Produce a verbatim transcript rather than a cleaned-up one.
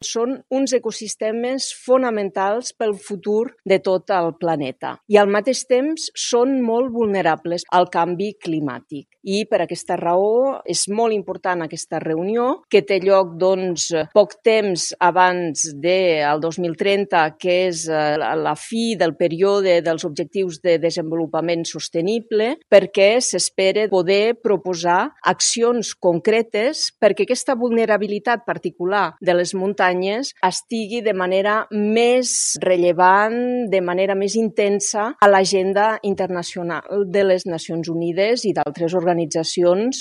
Són uns ecosistemes fonamentals pel futur de tot el planeta i al mateix temps són molt vulnerables al canvi climàtic. I per aquesta raó és molt important aquesta reunió que té lloc doncs, poc temps abans del dos mil trenta, que és la fi del període dels objectius de desenvolupament sostenible, perquè s'espera poder proposar accions concretes perquè aquesta vulnerabilitat particular de les muntanyes estigui de manera més rellevant, de manera més intensa a l'agenda internacional de les Nacions Unides i d'altres organitzacions